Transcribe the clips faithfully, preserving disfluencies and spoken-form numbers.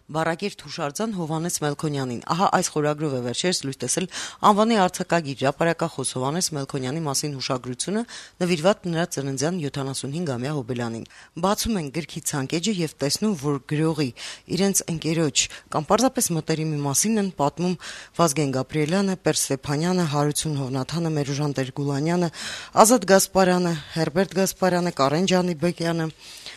Բառակերտ հուշարձան Հովհաննես Մելքոնյանին։ Ահա այս խորագրով է վերջերս լույս տեսել անվանի արձակագիր հրապարակախոս Հովհաննես Մելքոնյանի մասին հուշագրությունը, նվիրված նրա ծննդյան յոթանասունհինգամյա հոբելյանին։ Բացում են գրքի ցանկեջը եւ տեսնում, որ գրողի, իրենց ընկերոջ կամ պարզապես մտերիմի մասին են պատմում Վազգեն Գաբրիելյանը, Պեր Ստեփանյանը, Հարություն Հովնաթանը, Մերուժան Տեր-Գուլանյանը, Ազատ Գասպարյանը, Հերբերտ Գասպարյանը, Կարեն Ջանիբեկյանը,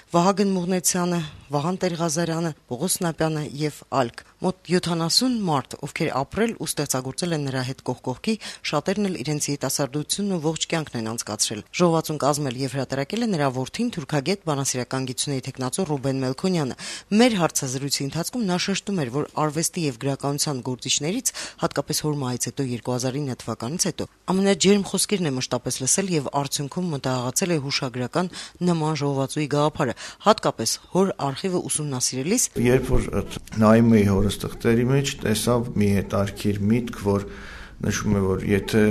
Վահագն Մուղնեցյանը, Վահան Տեր-Ղազարյանը, Պողոս Նապյանը եւ այլք։ Մոտ յոթանասուն մարդ, ովքեր ապրել ու ստեղծագործել են նրա հետ կողք կողքի, շատերն էլ իրենց երիտասարդությունն ու ողջ կյանքն են անցկացրել։ Ժողովածուն կազմել եւ հրատարակել է նրա որդին թուրքագետ բանասիրական գիտությունների տեխնացու Ռուբեն Մելքոնյանը։ Մեր հարցազրույցի ընթացքում նա շեշտում էր, որ արվեստի եւ գրականության գործիչներից, հատկապես հոր մահից հետո երկու հազար ինը թվականից հետո, ամենաջերմ խոսքերն է մշտապես լսել եւ արդյունքում մտահղացել է հուշագրական նման ժողովածուի գաղափարը, հատկապես հոր արխիվը ուսումնասիրելիս, երբ որ նայում էի հորս թղթերի մեջ, տեսավ մի հետարքիր միտք, որ նշում է, որ եթե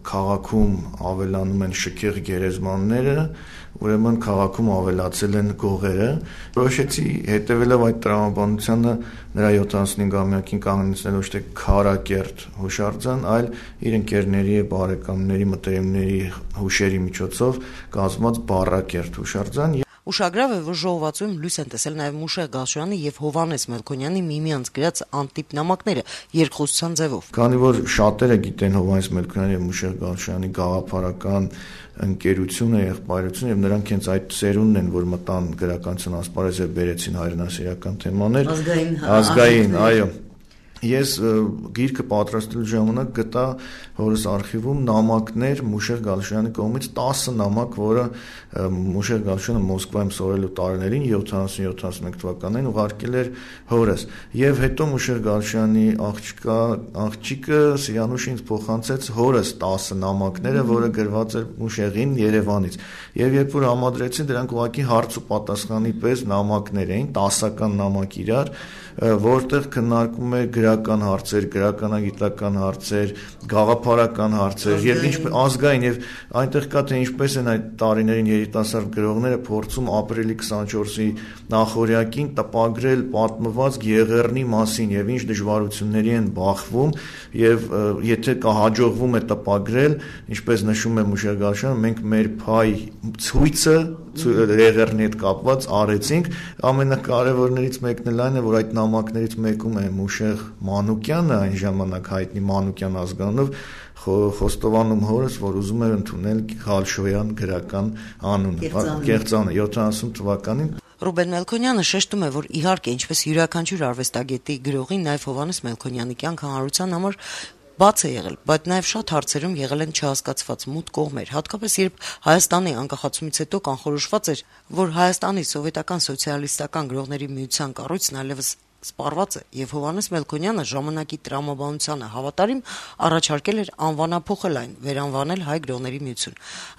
քաղաքում ավելանում են շքեղ գերեզմանները, ուրեմն քաղաքում ավելացել են գողերը։ Որոշեցի հետևելով այդ տրամաբանությանը նրա յոթանասունհինգամյակին կանգնեցնել ոչ թե քարակերտ հուշարձան, այլ իր ընկերների, բարեկամների, մտերիմների հուշերի միջոցով կազմված բառակերտ հուշարձան։ Ուշագրավ է, որ ժողովածուում լույս են տեսել նաև Մուշեղ Գալշյանի եւ Հովհաննես Մելքոնյանի միմյանց գրած անտիպ նամակները երկխոսության ձևով։ Քանի որ շատերը գիտեն Հովհաննես Մելքոնյանի եւ Մուշեղ Գալշյանի գաղափարական ընկերությունը, եղբայրությունը, եւ նրանք հենց այդ ծերունն են, որ մտան գրականության ասպարեզ եւ բերեցին հայրենասիրական թեմաներ, ազգային, այո։ Ես գիրքը պատրաստելու ժամանակ գտա հորս արխիվում նամակներ Մուշեղ Գալշյանի կողմից տասը նամակ, որը Մուշեղ Գալշյանը Մոսկվայում սովորելու տարիներին յոթանասուն յոթանասունմեկ թվականին ուղարկել էր հորս, եւ հետո Մուշեղ Գալշյանի աղջկա աղջիկը Սիրանուշը ինձ փոխանցեց հորս տասը նամակները, որը գրված էր Մուշեղին Երևանից, եւ երբ որ համադրեցին, դրանք ուղղակի հարց ու պատասխանի պես նամակներ էին, տասական նամակ իրար, որտեղ քննարկում է գրական հարցեր, գրականագիտական հարցեր, գաղափարական հարցեր եւ ինչպես ազգային, եւ այնտեղ կա թե ինչպես են այդ տարիներին երիտասարդ գրողները փորձում ապրիլի քսանչորսի նախօրյակին տպագրել պատմվածք Եղեռնի մասին եւ ինչ դժվարությունների են բախվում, եւ եթե կա հաջողվում է տպագրել, ինչպես նշում է Մուշեղ Գալշյանը, մենք մեր փայ ցույցը Եղեռնի հետ կապված արեցինք, ամենակարևորներից մեկն էլ այն է, որ այդ նամակներից մեկում է Մուշեղ Մանուկյանը, այն ժամանակ հայտնի Մանուկյան ազգանունով, խոստովանում հորս, որ ուզում էր ընդունել Գալշոյան գրական անունը, կեղծանը յոթանասուն թվականին։ Ռուբեն Մելքոնյանը շեշտում է, որ իհարկե, ինչպես յուրաքանչյուր արվեստագետի գրողի, նաև Հովհաննես Մելքոնյանի կյանքը հանրության համար բաց է եղել, բայց նաև շատ հարցերում եղել են չհասկացված մութ կողմեր, հատկապես երբ Հայաստանի անկախացումից հետո կանխորոշված էր, որ Հայաստանի սովետական սոցիալիստական գրողների միության կառույցն այլևս սպառված է, եւ Հովհաննես Մելքոնյանը ժամանակի տրամաբանությանը հավատարիմ առաջարկել էր անվանափոխել այն, վերանվանել Հայ գրողների միություն։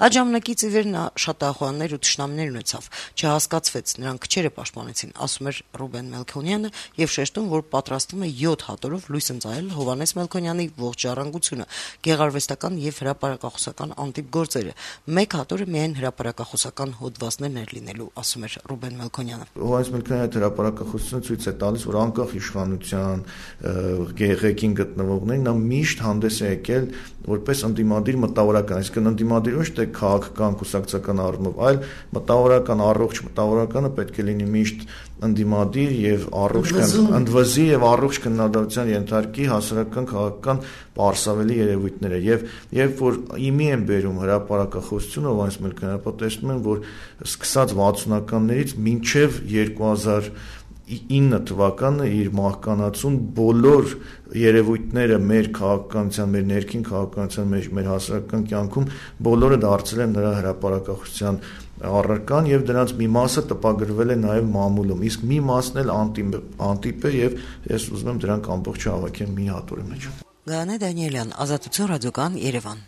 Այդ ժամանակից ի վեր նա շատ ահոյաններ ու թշնամիներ ունեցավ, չհասկացվեց, նրանք քչերը պաշտպանեցին, ասում էր Ռուբեն Մելքոնյանը եւ շեշտում, որ պատրաստվում է յոթ հատորով լույս ընծայել Հովհաննես Մելքոնյանի ողջ ժառանգությունը, գեղարվեստական եւ հրապարակախոսական անտիպ գործերը։ Մեկ հատորը միայն հրապարակախոսական հոդվածներն էր լինելու, ասում էր Ռուբեն Մելքոնյանը։ Հովհաննես Մելքոնյանը հրապարակախոսությունը ցույց է տալիս, որ անկախ իշխանության ղեկին գտնվողներին նա միշտ հանդես է եկել որպես ընդդիմադիր մտավորական, այսինքն ընդդիմադիր ոչ թե քաղաքական կուսակցական առումով, այլ մտավորական, առողջ մտավորականը պետք է լինի միշտ ընդդիմադիր եւ առողջ ընդվզի եւ առողջ քննադատության ենթարկի հասարակական քաղաքական պարսավելի երևույթները, եւ երբ որ իմի են բերում հրապարակախոսությունը, Հովհաննես Մելքոնյանը, ապա տեսնում են, որ սկսած վաթսունականներից մինչեւ երկու հազար ինը թվականը իր մահկանացուն բոլոր երևույթները մեր քաղաքականության, մեր ներքին քաղաքականության, մեր, մեր հասարակական կյանքում բոլորը դարձել են նրա հրապարակախոսության առարկան եւ դրանց մի մասը տպագրվել է նաեւ մամուլում, իսկ մի մասն էլ անտիպ, անտիպ է եւ ես ուզում եմ դրանք ամբողջը հավաքեմ մի հատորի մեջ։ Գայանե Դանիելյան, Ազատություն ռադիոկայան, Երևան։